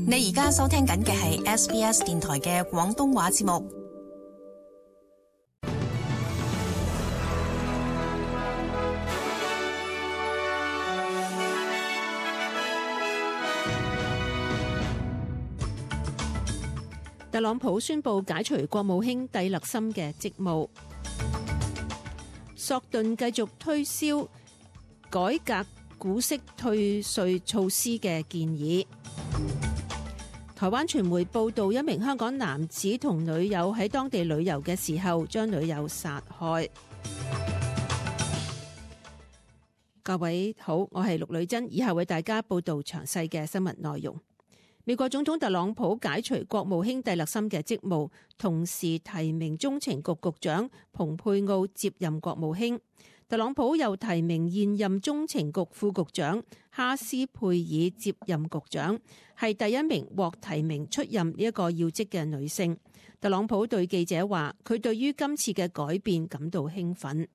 你而家收聽緊嘅係 SBS 電台嘅廣東話節目。特朗普宣布解除國務卿蒂勒森嘅職務。索頓繼續推銷改革股息退稅措施嘅建議。台灣傳媒報道，一名香港男子同女友喺當地旅遊嘅時候，將女友殺害。各位好，我係陸女珍，以下為大家報道詳細嘅新聞內容。美國總統特朗普解除國務卿蒂勒森嘅職務，同時提名中情局局長蓬佩奧接任國務卿。特朗普又提名現任中情局副局長哈斯佩爾接任局長，係第一名獲提名出任呢一個要職嘅女性。特朗普對記者話，佢對於今次嘅改變感到興奮。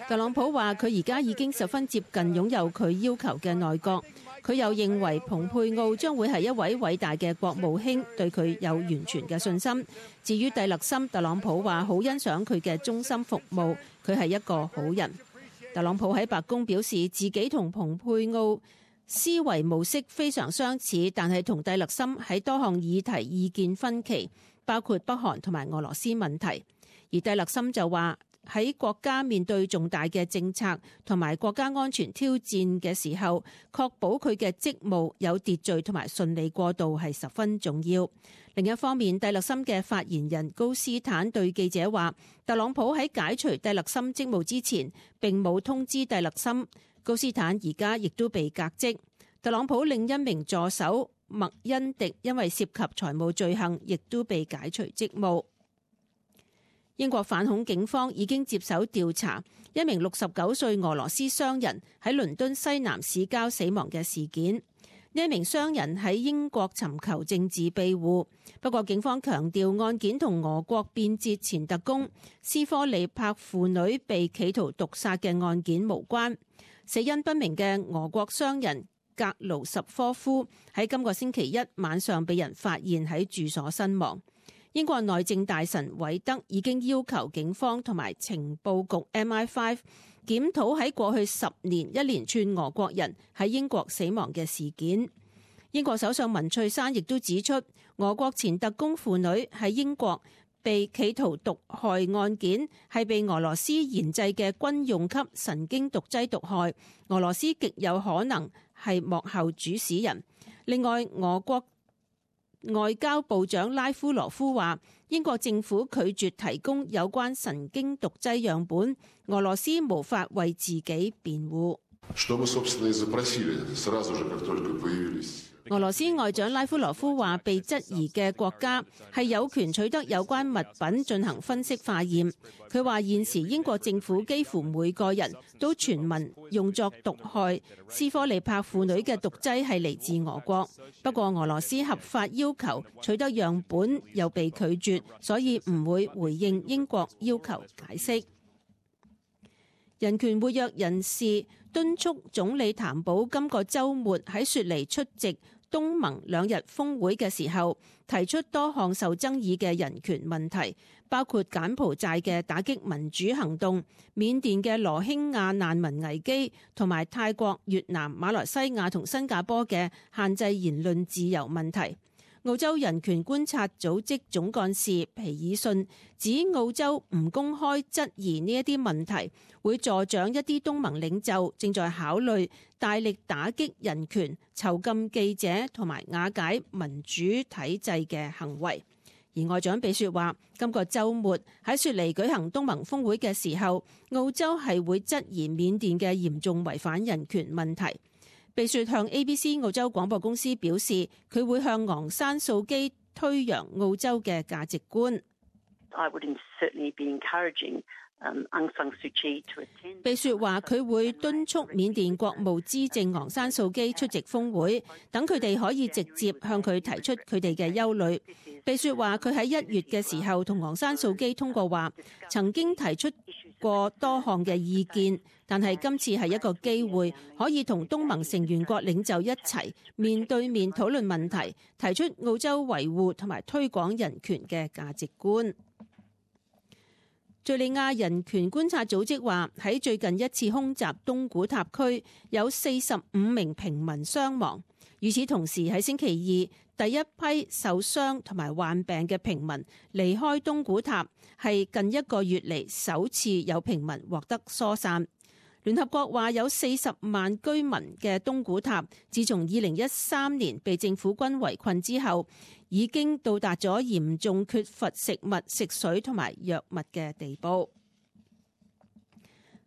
特朗普話佢而家已經十分接近擁有佢要求嘅內閣。佢又認為蓬佩奧將會係一位偉大嘅國務卿，對佢有完全嘅信心。至於蒂勒森，特朗普話好欣賞佢嘅忠心服務，佢係一個好人。特朗普喺白宮表示自己同蓬佩奧思維模式非常相似，但係同蒂勒森喺多項議題意見分歧，包括北韓同埋俄羅斯問題。而蒂勒森就話，喺國家面對重大嘅政策同埋國家安全挑戰嘅時候，確保佢嘅職務有秩序同埋順利過渡係十分重要。另一方面，蒂勒森嘅發言人高斯坦對記者話，特朗普喺解除蒂勒森職務之前並冇通知蒂勒森。高斯坦而家亦都被革職。特朗普另一名助手麥恩迪因為涉及財務罪行，亦都被解除職務。英國反恐警方已經接手調查一名69歲俄羅斯商人喺倫敦西南市郊死亡嘅事件。呢一名商人喺英國尋求政治庇護，不過警方強調案件同俄國變節前特工斯科利帕父女被企圖毒殺嘅案件無關。死因不明嘅俄國商人格盧什科夫喺今個星期一晚上被人發現喺住所身亡。英國內政大臣韋德已經要求警方同埋情報局 MI5 檢討喺過去10年一連串俄國人喺英國死亡嘅事件。英國首相文翠珊亦都指出，俄國前特工父女喺英國被企圖毒害案件係被俄羅斯研製嘅軍用級神經毒劑毒害，俄羅斯極有可能係幕後主使人。另外，俄國外交部長拉夫羅夫話，英國政府拒絕提供有關神經毒劑樣本，俄羅斯無法為自己辯護。俄羅斯外長拉夫羅夫話，被質疑嘅國家係有權取得有關物品進行分析化驗。佢話現時英國政府幾乎每個人都傳聞用作毒害斯科利帕父女嘅毒劑係嚟自俄國，不過俄羅斯合法要求取得樣本又被拒絕，所以唔會回應英國要求解釋。人權活躍人士敦促總理譚寶今個週末喺雪梨出席東盟2日峰會嘅時候，提出多項受爭議嘅人權問題，包括柬埔寨嘅打擊民主行動、緬甸嘅羅興亞難民危機，同埋泰國、越南、馬來西亞同新加坡嘅限制言論自由問題。澳洲人權觀察組織總幹事皮爾遜指，澳洲唔公開質疑呢一啲問題，會助長一啲東盟領袖正在考慮大力打擊人權、囚禁記者同埋瓦解民主體制嘅行為。而外長比雪話，今個週末喺雪梨舉行東盟峰會嘅時候，澳洲係會質疑緬甸嘅嚴重違反人權問題。比雪向 ABC 澳洲廣播公司表示，佢會向昂山素基推揚澳洲嘅價值觀。I would certainly be encouraging 被說話佢會敦促緬甸國務資政昂山素基出席峰會，等佢哋可以直接向佢提出佢哋嘅憂慮。被說話佢喺1月嘅時候同昂山素基通過話，曾經提出過多項嘅意見，但係今次係一個機會，可以同東盟成員國領袖一齊面對面討論問題，提出澳洲維護同埋推廣人權嘅價值觀。敘利亞人權觀察組織話，喺最近一次空襲東古塔區有45名平民傷亡。與此同時，喺星期二，第一批受傷同埋患病嘅平民離開東古塔，係近1個月嚟首次有平民獲得疏散。聯合國話有40萬居民嘅東古塔，自從2013年被政府軍圍困之後，已經到達咗嚴重缺乏食物、食水同埋藥物嘅地步。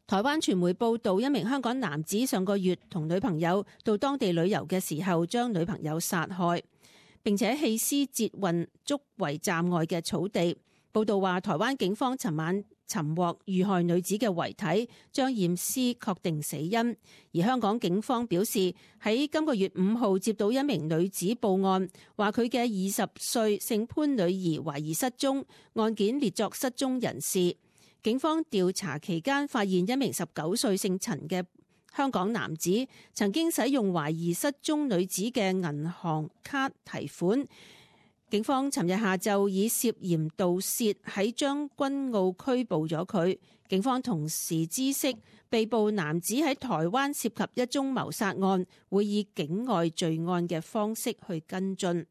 台灣傳媒報道，一名香港男子上個月同女朋友到當地旅遊嘅時候，將女朋友殺害，並且棄屍捷運竹圍站外嘅草地。報道話，台灣警方尋晚尋獲遇害女子嘅遺體，將驗屍確定死因。而香港警方表示，喺今個月5號接到一名女子報案，話佢嘅20歲姓潘女兒懷疑失蹤，案件列作失蹤人士。警方調查期間發現一名19歲姓陳嘅香港男子曾經使用懷疑失蹤女子嘅銀行卡提款。警方尋日下晝以涉嫌盜竊喺將軍澳拘捕咗佢。警方同時知悉被捕男子喺台灣涉及一宗謀殺案，會以境外罪案嘅方式去跟進。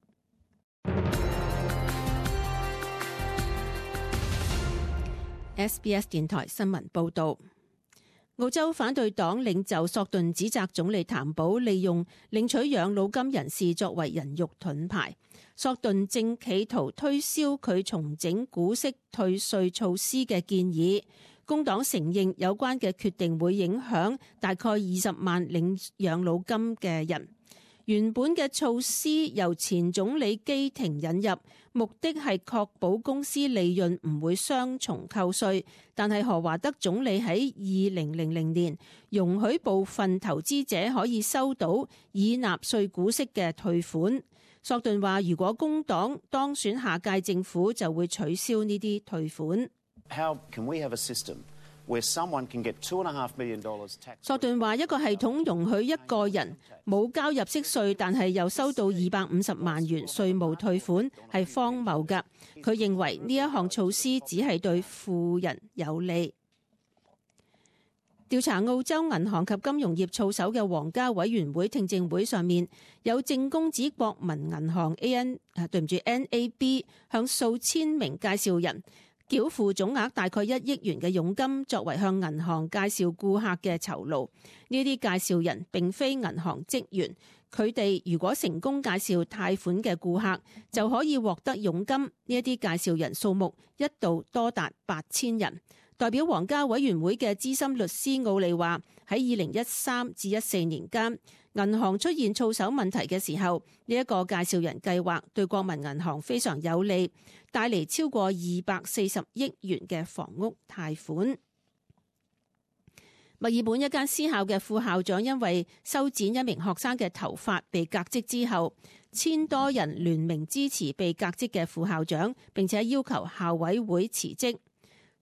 SBS 電台新聞報導。澳洲反對黨領袖索頓指責總理譚寶利用領取養老金人士作為人肉盾牌。索頓正企圖推銷佢重整股息退稅措施嘅建議。工黨承認有關嘅決定會影響大概20萬領養老金嘅人。原本嘅措施由前總理基廷引入，目的係確保公司利潤唔會雙重扣稅。但係何華德總理喺2000年容許部分投資者可以收到已納稅股息嘅退款。索頓話，如果工黨當選下屆政府，就會取消呢啲退款。索頓話，一個系統容許一個人冇交入息稅，但係又收到250萬元稅務退款，係荒謬㗎。佢認為呢一項措施只係對富人有利。調查澳洲銀行及金融業操守嘅皇家委員會聽證會上面，有證供指國民銀行 NAB 向數千名介紹人繳付總額大概1億元嘅佣金，作為向銀行介紹顧客嘅酬勞。呢啲介紹人並非銀行職員，佢哋如果成功介紹貸款嘅顧客，就可以獲得佣金。呢一啲介紹人數目一度多達8000人。代表皇家委員會嘅資深律師奧利話，喺2013至14年間，銀行出現操守問題嘅時候，呢一個介紹人計劃對國民銀行非常有利，帶嚟超過240億元嘅房屋貸款。墨爾本一間私校嘅副校長因為修剪一名學生嘅頭髮被革職之後，1000多人聯名支持被革職嘅副校長，並且要求校委會辭職。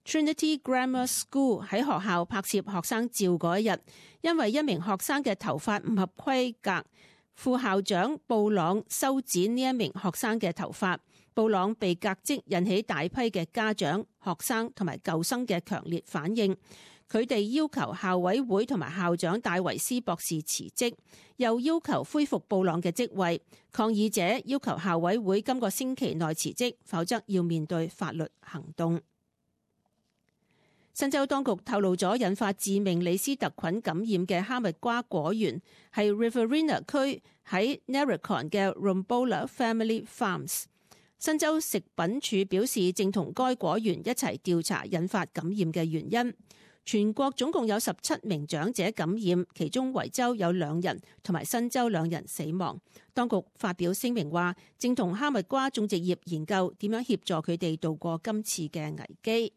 Trinity Grammar School 喺學校拍攝學生照嗰一日，因為一名學生嘅頭髮唔合規格，副校長布朗修剪呢一名學生嘅頭髮，布朗被革職，引起大批嘅家長、學生同埋舊生嘅強烈反應。佢哋要求校委會同埋校長戴維斯博士辭職，又要求恢復布朗嘅職位。抗議者要求校委會今個星期內辭職，否則要面對法律行動。新州當局透露咗引發致命李斯特菌感染嘅哈密瓜果園係 Riverina 區喺 Narracon 嘅 Rombola Family Farms。新州食品署表示正同該果園一齊調查引發感染嘅原因。全國總共有17名長者感染，其中維州有2人同埋新州2人死亡。當局發表聲明話，正同哈密瓜種植業研究點樣協助佢哋度過今次嘅危機。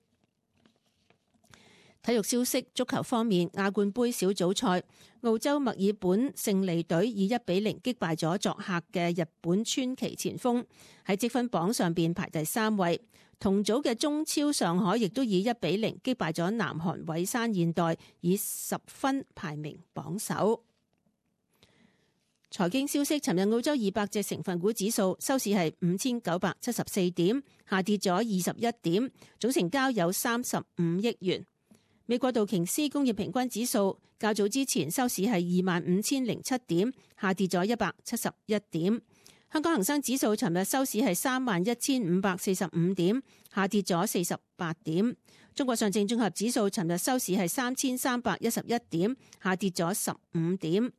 體育消息，足球方面，亞冠盃小組賽，澳洲墨爾本勝利隊以1-0擊敗咗作客嘅日本川崎前鋒，喺積分榜上邊排第3位。同組嘅中超上海亦都以1-0擊敗咗南韓蔚山現代，以10分排名榜首。財經消息，尋日澳洲200隻成分股指數收市係5974點，下跌咗21點，總成交有35億元。美國道瓊斯工業平均指數較早之前收市係25007點，下跌咗171點。香港恒生指數尋日收市係31545點，下跌咗48點。中國上證綜合指數尋日收市係3311點，下跌咗15點。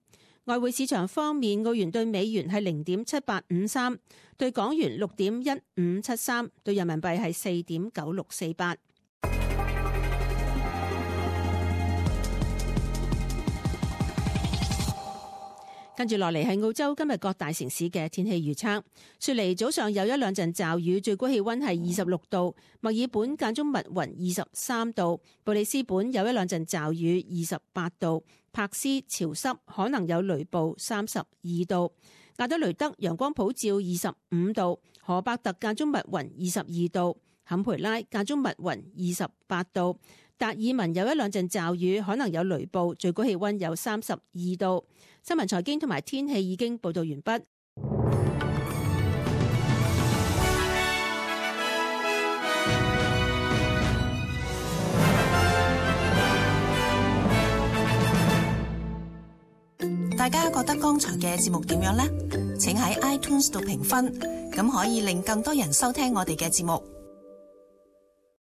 外匯市場方面，澳元對美元係0.7853，對港元6.1573，對人民幣係4.9648。跟住落嚟係澳洲今日各大城市嘅天氣預測。雪梨早上有1-2陣驟雨，最高氣溫係26度；墨爾本間中密雲23度；布里斯本有1-2陣驟雨28度；柏斯潮濕可能有雷暴32度；亞德雷德陽光普照25度；荷伯特間中密雲22度；坎培拉間中密雲28度；達爾文有1-2陣驟雨，可能有雷暴，最高氣溫有32度。新聞財經同埋天氣已經報道完畢。大家覺得剛才嘅節目點樣呢？請喺 iTunes 度評分，咁可以令更多人收聽我哋嘅節目。